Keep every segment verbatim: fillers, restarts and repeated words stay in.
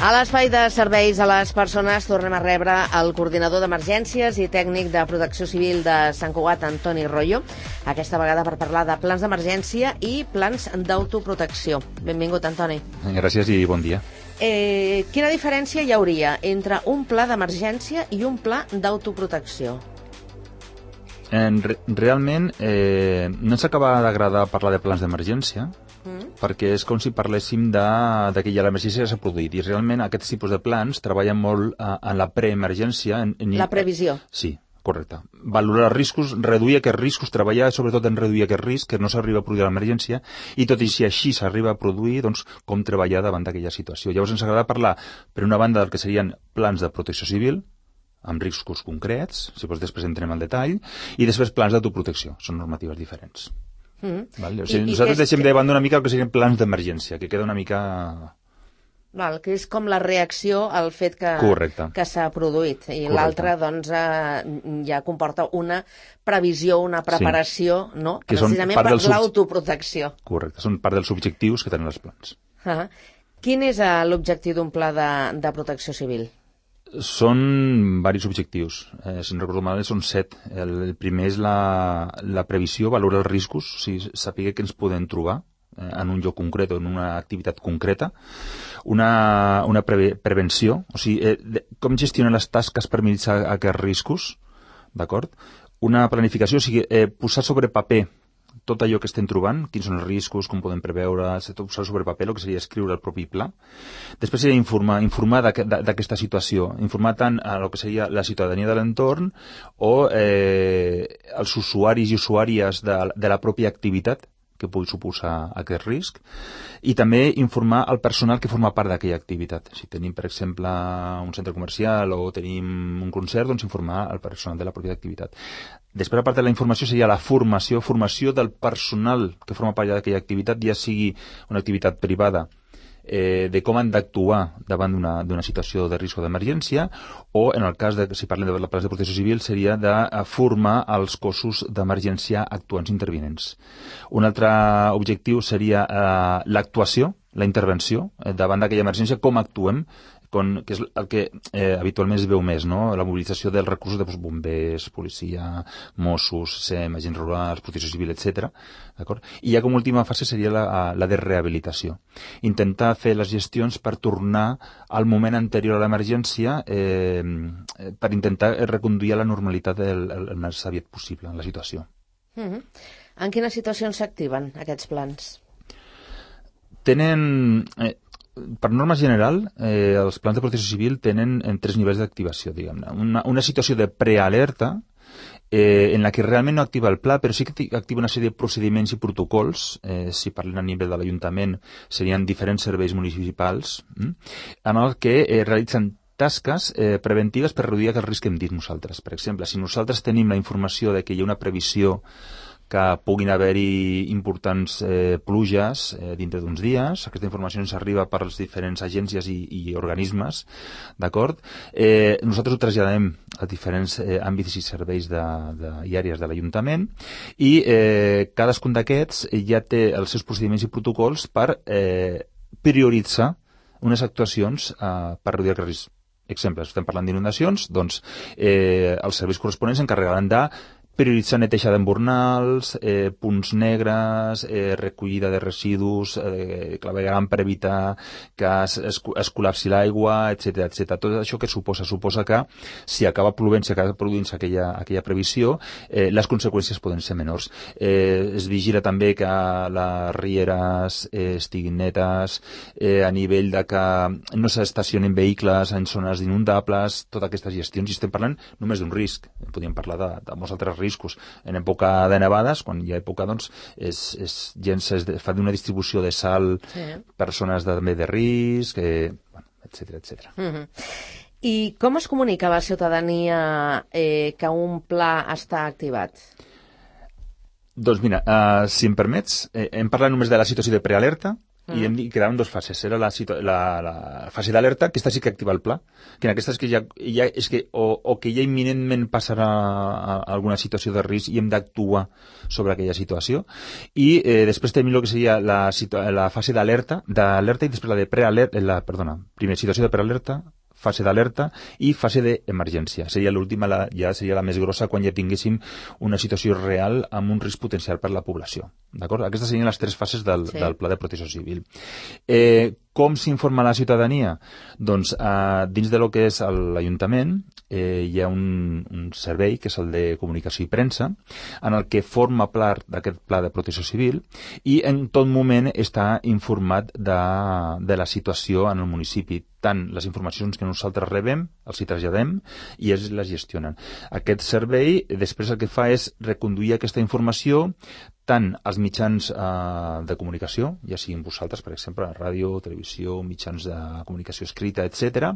A l'espai de serveis a les persones tornem a rebre el coordinador d'emergències i tècnic de protecció civil de Sant Cugat, Antoni Royo, aquesta vegada per parlar de plans d'emergència i plans d'autoprotecció. Benvingut, Antoni. Gràcies i bon dia. Eh, quina diferència hi hauria entre un pla d'emergència i un pla d'autoprotecció? En, realment, eh, no ens acaba d'agradar parlar de plans d'emergència, mm. perquè és com si parléssim de, de que ja l'emergència ja s'ha produït, i realment aquests tipus de plans treballen molt eh, en la preemergència. En, en, la previsió. Eh, sí, correcte. Valorar riscos, reduir aquests riscos, treballar sobretot en reduir aquest risc, que no s'arriba a produir a l'emergència, i tot i si així s'arriba a produir, doncs com treballar davant d'aquella situació. Llavors ens agrada parlar, per una banda, del que serien plans de protecció civil, amb riscos concrets, si vols després entrem al detall, i després plans d'autoprotecció. Són normatives diferents. Mm. Val? O sigui, I, nosaltres i deixem que... de banda una mica el que serien plans d'emergència, que queda una mica... Val, que és com la reacció al fet que, que s'ha produït. I l'altre, doncs, eh, ja comporta una previsió, una preparació, sí. no? Que precisament per sub... l'autoprotecció. Correcte, són part dels objectius que tenen els plans. Uh-huh. Quin és uh, l'objectiu d'un pla de, de protecció civil? Són diversos objectius. Eh, si no recordo mal, són set. El, el primer és la, la previsió, valorar els riscos, o sigui, saber què ens podem trobar eh, en un lloc concret o en una activitat concreta. Una, una preve, prevenció, o sigui, eh, de, com gestionar les tasques per minimitzar aquests riscos, d'acord? Una planificació, o sigui, eh, posar sobre paper tot allò que estem trobant, quins són els riscos, com podem preveure, posar sobre paper, el que seria escriure el propi pla. Després seria informar, informar d'aquesta situació, informar tant a el que seria la ciutadania de l'entorn o eh, els usuaris i usuàries de, de la pròpia activitat que pugui suposar aquest risc, i també informar el personal que forma part d'aquella activitat. Si tenim, per exemple, un centre comercial o tenim un concert, doncs informar el personal de la pròpia activitat. Després, a part de la informació, seria la formació, formació del personal que forma part d'aquella activitat, ja sigui una activitat privada, eh, de com han d'actuar davant d'una situació de risc o d'emergència, o en el cas de, si parlem de plans de protecció civil, seria de formar els cossos d'emergència actuants intervinents. Un altre objectiu seria eh, l'actuació, la intervenció, eh, davant d'aquella emergència, com actuem, con, que és el que eh, habitualment es veu més, no? La mobilització dels recursos de doncs, bombers, policia, Mossos, SEM, agents rurals, protecció civil, etcètera. D'acord? I ja com última fase seria la, la de rehabilitació. Intentar fer les gestions per tornar al moment anterior a l'emergència eh, per intentar reconduir a la normalitat el, el, el més aviat possible en la situació. Mm-hmm. En quines situacions s'activen aquests plans? Tenen... Eh, Per norma general, eh, els plans de protecció civil tenen en tres nivells d'activació, diguem-ne. Una, una situació de prealerta, eh, en la que realment no activa el pla, però sí que activa una sèrie de procediments i protocols, eh, si parlem a nivell de l'Ajuntament, serien diferents serveis municipals, hm? en el que eh, realitzen tasques eh, preventives per reduir aquest risc que hem dit nosaltres. Per exemple, si nosaltres tenim la informació de que hi ha una previsió que puguin haver-hi importants eh, pluges eh, dintre d'uns dies. Aquesta informació ens arriba per les diferents agències i, i organismes, d'acord? Eh, nosaltres ho traslladem a diferents eh, àmbits i serveis de, de, i àrees de l'Ajuntament i eh, cadascun d'aquests ja té els seus procediments i protocols per eh, prioritzar unes actuacions eh, per reduir el risc. Exemples, estem parlant d'inundacions, doncs eh, els serveis corresponents s'encarregaran de prioritzar neteja d'embornals, eh, punts negres, eh, recollida de residus, eh, clavegaran per evitar que es, es, es col·lapsi l'aigua, etcètera, etcètera. Tot això que suposa? Suposa que si acaba plovent, si acaba produint-se aquella, aquella previsió, eh, les conseqüències poden ser menors. Eh, es vigila també que les rieres eh, estiguin netes, eh, a nivell de que no s'estacionin vehicles en zones inundables, totes aquestes gestions. I estem parlant només d'un risc. Podríem parlar de, de molts altres riscos. En època de nevades, quan hi ha època, doncs, és, és, gens es fa d'una distribució de sal sí. per zones també de risc, eh, bueno, etcètera, etcètera. Mm-hmm. I com es comunica a la ciutadania eh, que un pla està activat? Doncs mira, uh, si em permets, eh, hem parlat només de la situació de prealerta Mm. I, hem, i quedaven dues fases. Era la, la, la fase d'alerta, aquesta sí que activa el pla, que en aquesta és que ja, ja és que o, o que ja imminentment passarà a, a alguna situació de risc i hem d'actuar sobre aquella situació. I eh, després tenim el que seria la, la fase d'alerta, d'alerta i després la de prealerta, la, perdona, primera situació de prealerta, fase d'alerta i fase d'emergència. Seria l'última, la, ja seria la més grossa quan ja tinguéssim una situació real amb un risc potencial per la població. D'acord? Aquestes serien les tres fases del, sí. del Pla de Protecció Civil. Eh, com s'informa la ciutadania? Doncs eh, dins de lo que és l'Ajuntament eh, hi ha un, un servei que és el de comunicació i premsa en el que forma part d'aquest Pla de Protecció Civil i en tot moment està informat de, de la situació en el municipi, tant les informacions que nosaltres rebem, els hi traslladem i ells les gestionen. Aquest servei després el que fa és reconduir aquesta informació tant als mitjans eh, de comunicació, ja siguin vosaltres, per exemple, ràdio, televisió, mitjans de comunicació escrita, etcètera,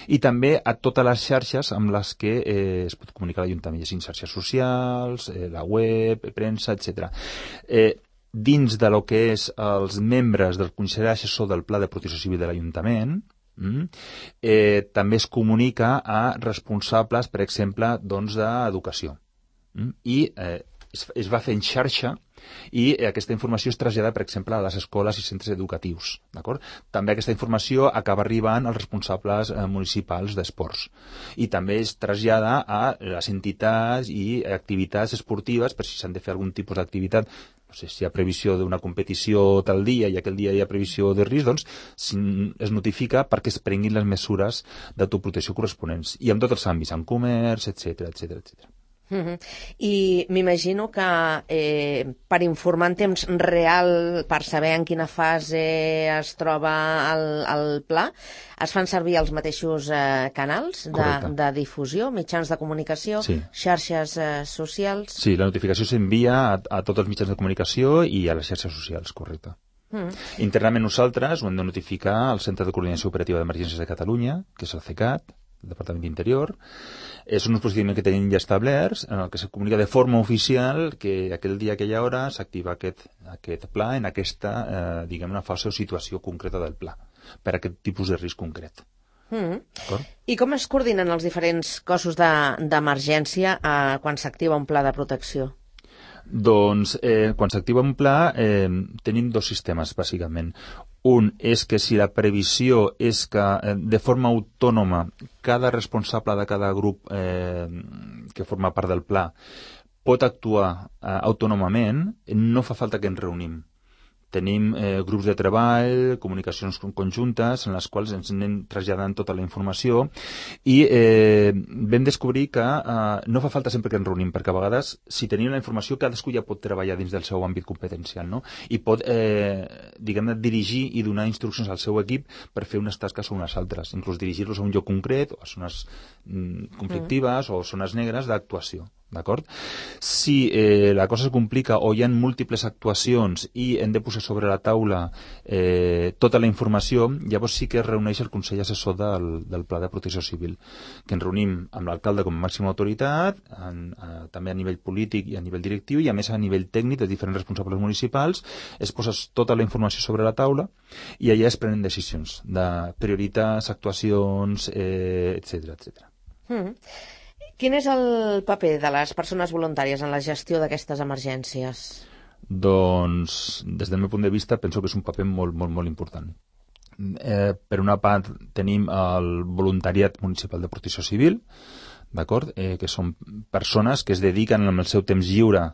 i també a totes les xarxes amb les que eh, es pot comunicar l'Ajuntament, ja siguin xarxes socials, eh, la web, premsa, etcètera. Eh, dins de lo que és els membres del Consell Assessor del Pla de Protecció Civil de l'Ajuntament, Mm. Eh, també es comunica a responsables, per exemple, doncs, d'educació. Mm. I eh, es, es va fer en xarxa i eh, aquesta informació es trasllada, per exemple, a les escoles i centres educatius. D'acord? També aquesta informació acaba arribant als responsables eh, municipals d'esports. I també es trasllada a les entitats i activitats esportives, per si s'han de fer algun tipus d'activitat, no sé, si hi ha previsió d'una competició tal dia i aquell dia hi ha previsió de risc, doncs es notifica perquè es prenguin les mesures d'autoprotecció corresponents. I en tots els àmbits, en comerç, etcètera, etcètera, etcètera. Uh-huh. I m'imagino que eh, per informar en temps real, per saber en quina fase es troba el, el pla, es fan servir els mateixos eh, canals de, de difusió, mitjans de comunicació, sí. xarxes eh, socials... Sí, la notificació s'envia a, a tots els mitjans de comunicació i a les xarxes socials, correcte. Mm. Internament nosaltres ho hem de notificar al Centre de Coordinació Operativa d'Emergències de Catalunya, que és el CECAT, el Departament d'Interior. És un procediment que tenim ja establerts en el que se comunica de forma oficial que aquell dia, aquella hora, s'activa aquest, aquest pla en aquesta, eh, diguem-ne, fase o situació concreta del pla, per a aquest tipus de risc concret. Mm. I com es coordinen els diferents cossos d'emergència de, eh, quan s'activa un pla de protecció? Doncs eh, quan s'activa un pla eh, tenim dos sistemes, bàsicament. Un és que si la previsió és que eh, de forma autònoma cada responsable de cada grup eh, que forma part del pla pot actuar eh, autònomament, no fa falta que ens reunim. Tenim eh, grups de treball, comunicacions conjuntes, en les quals ens anem traslladant tota la informació i eh, vam descobrir que eh, no fa falta sempre que ens reunim, perquè a vegades, si tenim la informació, cadascú ja pot treballar dins del seu àmbit competencial, no? I pot, eh, diguem-ne, dirigir i donar instruccions al seu equip per fer unes tasques o unes altres, inclús dirigir-los a un lloc concret, o a zones mm, conflictives mm. o zones negres d'actuació. D'acord? Si eh, la cosa es complica o hi ha múltiples actuacions i hem de posar sobre la taula eh, tota la informació, llavors sí que es reuneix el Consell Assessor del, del Pla de Protecció Civil, que ens reunim amb l'alcalde com a màxima autoritat, en, a, també a nivell polític i a nivell directiu, i a més a nivell tècnic de diferents responsables municipals, es posa tota la informació sobre la taula i allà es prenen decisions de prioritats, actuacions, eh, etcètera, etcètera. Mm. Quin és el paper de les persones voluntàries en la gestió d'aquestes emergències? Doncs, des del meu punt de vista, penso que és un paper molt, molt, molt important. Eh, per una part, tenim el voluntariat municipal de protecció civil, d'acord? Eh, que són persones que es dediquen amb el seu temps lliure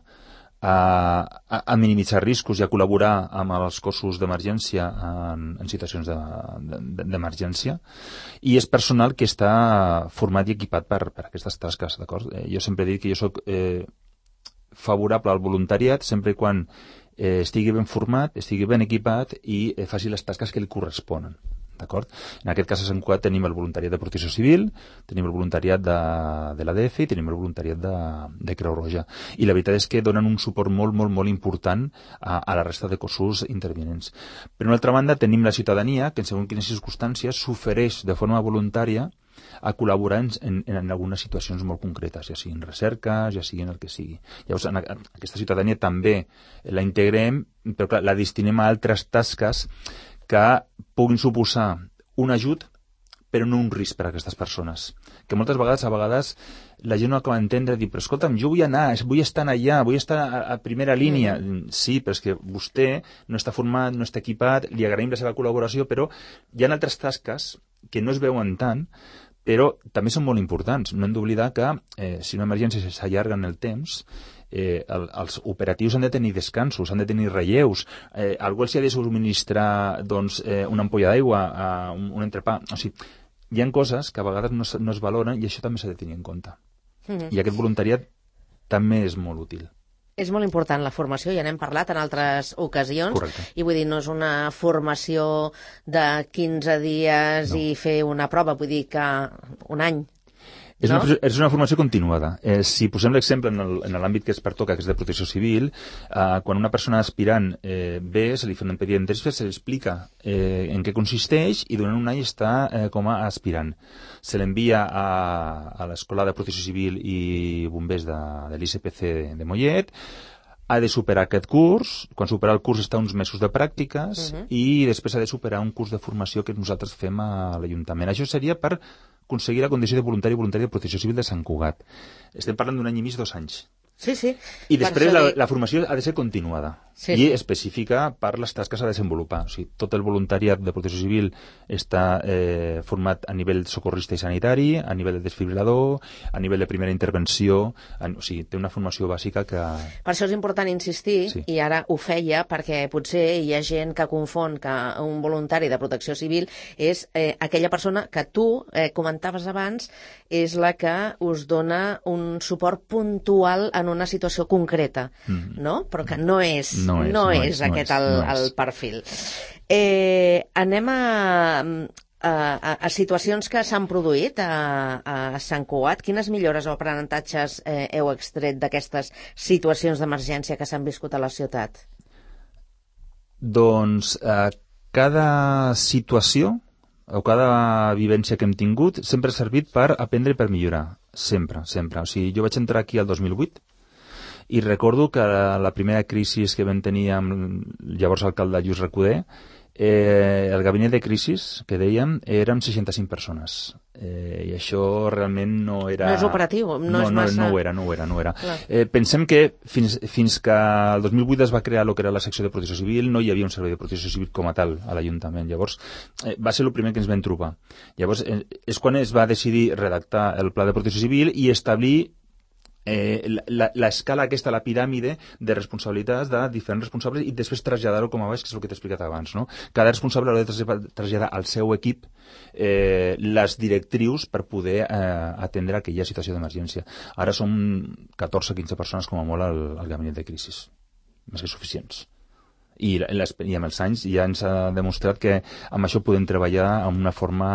a, a, a minimitzar riscos i a col·laborar amb els cossos d'emergència en, en situacions d'emergència, i és personal que està format i equipat per, per aquestes tasques, d'acord? Eh, jo sempre he dit que jo soc eh, favorable al voluntariat sempre quan eh, estigui ben format, estigui ben equipat i eh, faci les tasques que li corresponen. D'acord? En aquest cas a Sant Cugat tenim el voluntariat de protecció civil, tenim el voluntariat de, de l'A D F i tenim el voluntariat de, de Creu Roja. I la veritat és que donen un suport molt, molt, molt important a, a la resta de cossos intervinents. Per una altra banda, tenim la ciutadania que en segons quines circumstàncies s'ofereix de forma voluntària a col·laborar en, en, en algunes situacions molt concretes, ja siguin recerques, ja siguin el que sigui. Llavors, en aquesta ciutadania també la integrem, però clar, la destinem a altres tasques que puguin suposar un ajut, però no un risc per a aquestes persones. Que moltes vegades, a vegades, la gent no acaba d'entendre, dir, però escolta'm, jo vull anar, vull estar allà, vull estar a, a primera línia. Mm. Sí, però és que vostè no està format, no està equipat, li agraïm la seva col·laboració, però hi ha altres tasques que no es veuen tant, però també són molt importants. No hem d'oblidar que eh, si una emergència s'allarga en el temps, eh, el, els operatius han de tenir descansos, han de tenir relleus, eh, algú els ha de subministrar doncs, eh, una ampolla d'aigua, eh, un, un entrepà, o sigui, hi ha coses que a vegades no, no es valoren i això també s'ha de tenir en compte. Mm-hmm. I aquest voluntariat també és molt útil. És molt important la formació, ja n'hem parlat en altres ocasions. Correcte. I vull dir, no és una formació de quinze dies no. i fer una prova, vull dir que un any. És, no? una, és una formació continuada. Eh, si posem l'exemple en l'àmbit que es pertoca, que és de protecció civil, eh, quan una persona aspirant eh, ve, se li fa un pedido d'entrevista, se li explica eh, en què consisteix i durant un any està eh, com a aspirant. Se l'envia a, a l'Escola de Protecció Civil i Bombers de, de l'I C P C de, de Mollet, ha de superar aquest curs, quan supera el curs està uns mesos de pràctiques uh-huh. i després ha de superar un curs de formació que nosaltres fem a l'Ajuntament. Això seria per aconseguir la condició de voluntari i voluntari de Protecció Civil de Sant Cugat. Estem parlant d'un any i mig, dos anys. Sí, sí. I després la, la formació ha de ser continuada sí, i sí. específica per les tasques a desenvolupar. O sigui, tot el voluntariat de Protecció Civil està eh, format a nivell socorrista i sanitari, a nivell de desfibrilador, a nivell de primera intervenció, en, o sigui, té una formació bàsica que... Per això és important insistir, sí. i ara ho feia, perquè potser hi ha gent que confon que un voluntari de Protecció Civil és eh, aquella persona que tu eh, comentaves abans, és la que us dona un suport puntual en una situació concreta, mm. no? Però que no és, no és, no no és, és aquest no el, és, no el és. perfil. Eh, anem a, a, a situacions que s'han produït a, a Sant Cugat. Quines millores o aprenentatges eh, heu extret d'aquestes situacions d'emergència que s'han viscut a la ciutat? Doncs eh, cada situació o cada vivència que hem tingut sempre ha servit per aprendre i per millorar. Sempre, sempre. O sigui, jo vaig entrar aquí el dos mil vuit i recordo que la primera crisi que vam tenir amb el llavors alcalde Lluís Recoder, eh, el gabinet de crisis, que dèiem, érem seixanta-cinc persones. Eh, I això realment no era... No és operatiu, no, no és massa... No, no ho era, no ho era. No ho era. Eh, pensem que fins, fins que el dos mil vuit es va crear el que era la secció de protecció civil, no hi havia un servei de protecció civil com a tal a l'Ajuntament. Llavors, eh, va ser el primer que ens vam trobar. Llavors, eh, és quan es va decidir redactar el pla de protecció civil i establir Eh, l'escala aquesta, la piràmide de responsabilitats de diferents responsables i després traslladar-ho com a baix, que és el que t'he explicat abans, no? Cada responsable ha de traslladar al seu equip eh, les directrius per poder eh, atendre aquella situació d'emergència. Ara som catorze o quinze persones com a molt al, al gabinet de crisis, més que suficients. I, i amb els anys ja ens ha demostrat que amb això podem treballar amb una forma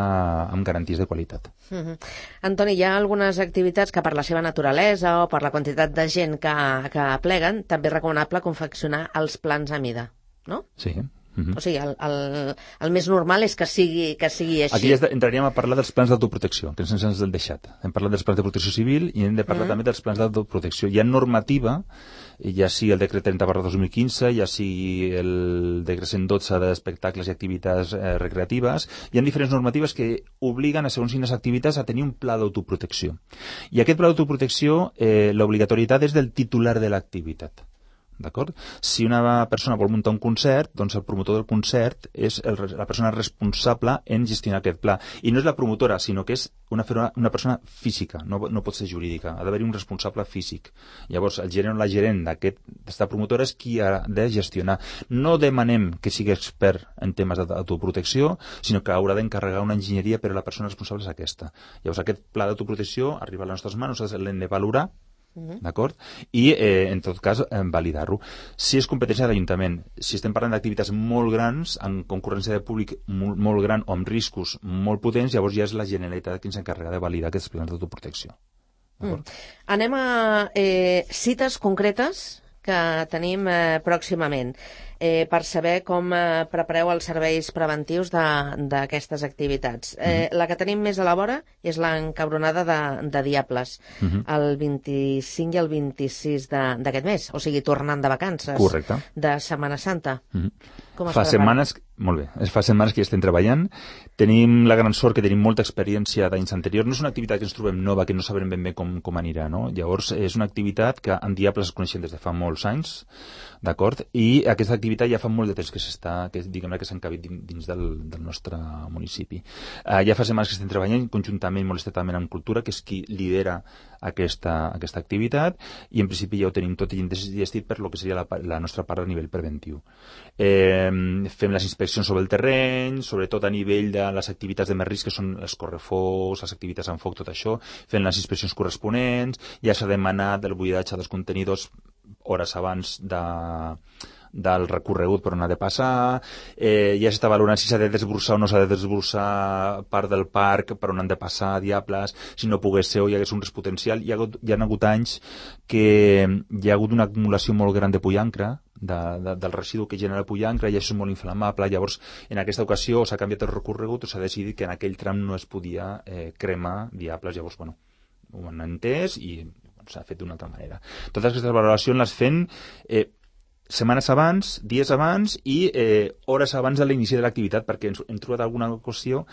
amb garanties de qualitat. Mm-hmm. Antoni, hi ha algunes activitats que per la seva naturalesa o per la quantitat de gent que, que pleguen també és recomanable confeccionar els plans a mida, no? Sí. Mm-hmm. O sigui, el, el, el més normal és que sigui, que sigui així. Aquí ja entraríem a parlar dels plans d'autoprotecció, que ens ens hem deixat. Hem parlat dels plans de protecció civil i hem de parlar mm-hmm. també dels plans d'autoprotecció. Hi ha normativa, ja sigui el decret trenta barra dos mil quinze, ja sigui el decret cent dotze d'espectacles i activitats eh, recreatives, hi ha diferents normatives que obliguen a segons quines activitats a tenir un pla d'autoprotecció. I aquest pla d'autoprotecció, eh, l'obligatorietat és del titular de l'activitat. D'acord? Si una persona vol muntar un concert, doncs el promotor del concert és el, la persona responsable en gestionar aquest pla. I no és la promotora, sinó que és una, una persona física, no, no pot ser jurídica. Ha d'haver-hi un responsable físic. Llavors, el gerent o la gerent d'aquesta promotora és qui ha de gestionar. No demanem que sigui expert en temes d'autoprotecció, sinó que haurà d'encarregar una enginyeria, però la persona responsable és aquesta. Llavors, aquest pla d'autoprotecció arriba a les nostres mans, nosaltres l'hem de valorar, Uh-huh. d'acord? I, eh, en tot cas, eh, validar-ho. Si és competència de l'Ajuntament, si estem parlant d'activitats molt grans, amb concurrència de públic molt, molt gran o amb riscos molt potents, llavors ja és la Generalitat qui s'encarrega de validar aquests plans d'autoprotecció. Mm. Anem a eh, cites concretes que que tenim eh, pròximament, eh, per saber com eh, prepareu els serveis preventius d'aquestes activitats. Eh, mm-hmm. La que tenim més a la vora és l'encabronada de, de Diables, mm-hmm. el vint-i-cinc i el vint-i-sis d'aquest mes, o sigui, tornant de vacances. Correcte. De Setmana Santa. Mm-hmm. Com es fa setmanes, molt bé, fa setmanes que ja estem treballant. Tenim la gran sort que tenim molta experiència d'anys anteriors. No és una activitat que ens trobem nova, que no sabrem ben bé com, com anirà, no? Llavors, és una activitat que en Diables es coneixen des de fa molts anys, d'acord? I aquesta activitat ja fa molt de temps que s'està, que diguem-ne que s'ha encabit dins del, del nostre municipi. Uh, ja fa setmanes que estem treballant conjuntament, molt estretament amb Cultura, que és qui lidera aquesta, aquesta activitat, i en principi ja ho tenim tot gestit per lo que seria la, la nostra part a nivell preventiu. Eh, fem les inspeccions sobre el terreny, sobretot a nivell de les activitats de més risc, que són els correfocs, les activitats amb foc, tot això, fent les inspeccions corresponents, ja s'ha demanat el buidatge dels contenidors hores abans de, del recorregut per on ha de passar, eh, ja s'està valorant si s'ha de desbrossar o no s'ha de desbrossar part del parc per on han de passar Diables, si no pogués ser o hi hagués un risc potencial. Hi ha, hi ha hagut anys que hi ha hagut una acumulació molt gran de pollancre, de, de, del residu que genera el pollancre, i això és molt inflamable. Llavors, en aquesta ocasió s'ha canviat el recorregut, s'ha decidit que en aquell tram no es podia eh, cremar Diables. Llavors, bueno, ho han entès i s'ha fet d'una altra manera. Totes aquestes valoracions les fem eh, setmanes abans, dies abans i eh, hores abans de l'inici de l'activitat, perquè ens, hem trobat alguna qüestió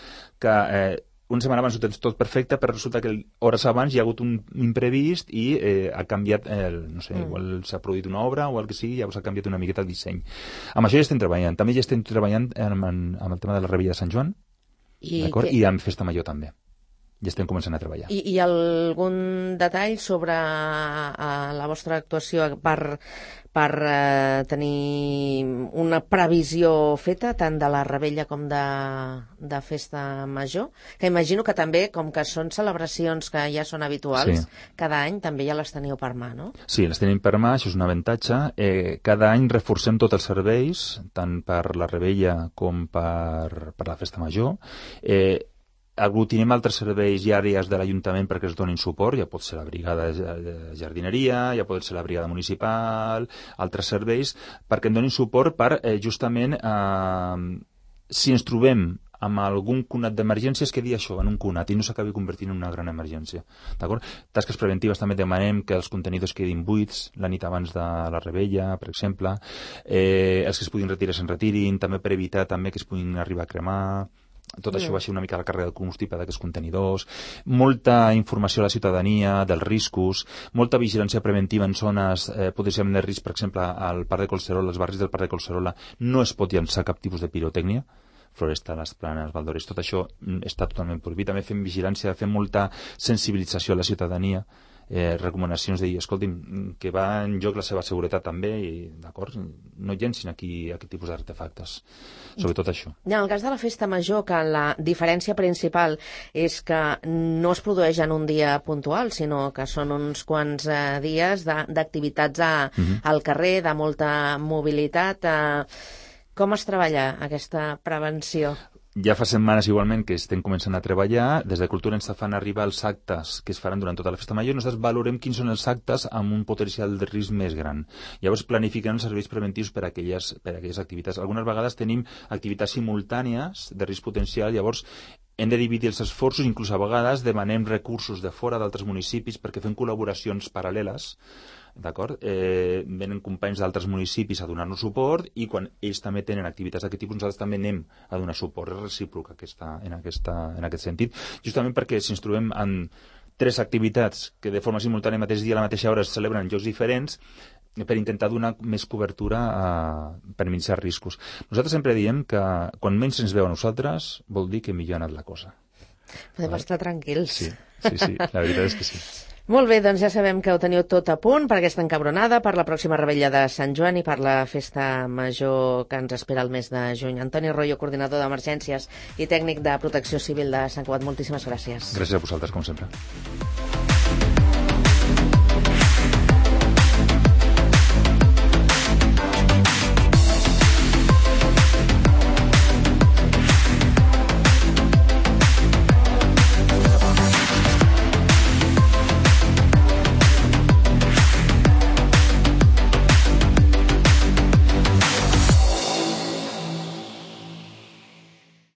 que eh, una setmana abans ho tens tot perfecte, però resulta que hores abans hi ha hagut un imprevist i eh, ha canviat, el, no sé, mm. igual s'ha produït una obra o el que sigui, llavors ha canviat una miqueta el disseny. Amb això ja estem treballant. També ja estem treballant amb, amb el tema de la Rebella de Sant Joan, I, que... i amb Festa Major també. Ja estem començant a treballar. I, i algun detall sobre uh, la vostra actuació per, per uh, tenir una previsió feta tant de la Rebella com de, de Festa Major? Que imagino que també, com que són celebracions que ja són habituals, sí. Cada any també ja les teniu per mà, no? Sí, les tenim per mà, això és un avantatge. Eh, cada any reforcem tots els serveis, tant per la Rebella com per, per la Festa Major. Eh, aglutinem altres serveis i àrees de l'Ajuntament perquè es donin suport, ja pot ser la brigada de jardineria, ja pot ser la brigada municipal, altres serveis, perquè en donin suport per eh, justament eh, si ens trobem amb algun cunat d'emergència es quedi això, en un cunat, i no s'acabi convertint en una gran emergència. D'acord? Tasques preventives també demanem que els contenidors quedin buits la nit abans de la Rebella, per exemple, eh, els que es puguin retirar se'n retirin, també per evitar també que es puguin arribar a cremar. Tot això baixa una mica la càrrega del combustible d'aquests contenidors, molta informació a la ciutadania dels riscos, molta vigilància preventiva en zones eh, potencialment de risc, per exemple, al Parc de Collserola, als barris del Parc de Collserola, no es pot llançar cap tipus de pirotècnia, Floresta, les Planes, Valdores, tot això està totalment prohibit. També fem vigilància, fem molta sensibilització a la ciutadania, eh, recomanacions de dir, escolti'm, que va en joc la seva seguretat també, i d'acord, no llencin aquí aquest tipus d'artefactes, sobretot això. En el cas de la Festa Major, que la diferència principal és que no es produeix en un dia puntual, sinó que són uns quants eh, dies d'activitats uh-huh. al carrer, de molta mobilitat. Eh, com es treballa aquesta prevenció? Ja fa setmanes igualment que estem començant a treballar. Des de Cultura ens fan arribar els actes que es faran durant tota la Festa Major. Nosaltres valorem quins són els actes amb un potencial de risc més gran. Llavors planifiquem els serveis preventius per a aquelles, per a aquelles activitats. Algunes vegades tenim activitats simultànies de risc potencial, llavors hem de dividir els esforços, inclús a vegades demanem recursos de fora d'altres municipis perquè fem col·laboracions paral·leles. D'acord? Eh, venen companys d'altres municipis a donar-nos suport i quan ells també tenen activitats d'aquest tipus nosaltres també anem a donar suport. És recíproc aquesta, en, aquesta, en aquest sentit. Justament perquè si ens trobem en tres activitats que de forma simultània el mateix dia a la mateixa hora es celebren en llocs diferents, per intentar donar més cobertura a, per minimitzar riscos. Nosaltres sempre diem que quan menys ens veu a nosaltres vol dir que millor ha anat la cosa. Podem vale? estar tranquils. Sí, sí, sí, la veritat és que sí. Molt bé, doncs ja sabem que ho teniu tot a punt per aquesta encabronada, per la pròxima Rebella de Sant Joan i per la Festa Major que ens espera el mes de juny. Antoni Royo, coordinador d'emergències i tècnic de protecció civil de Sant Cugat, moltíssimes gràcies. Gràcies a vosaltres, com sempre.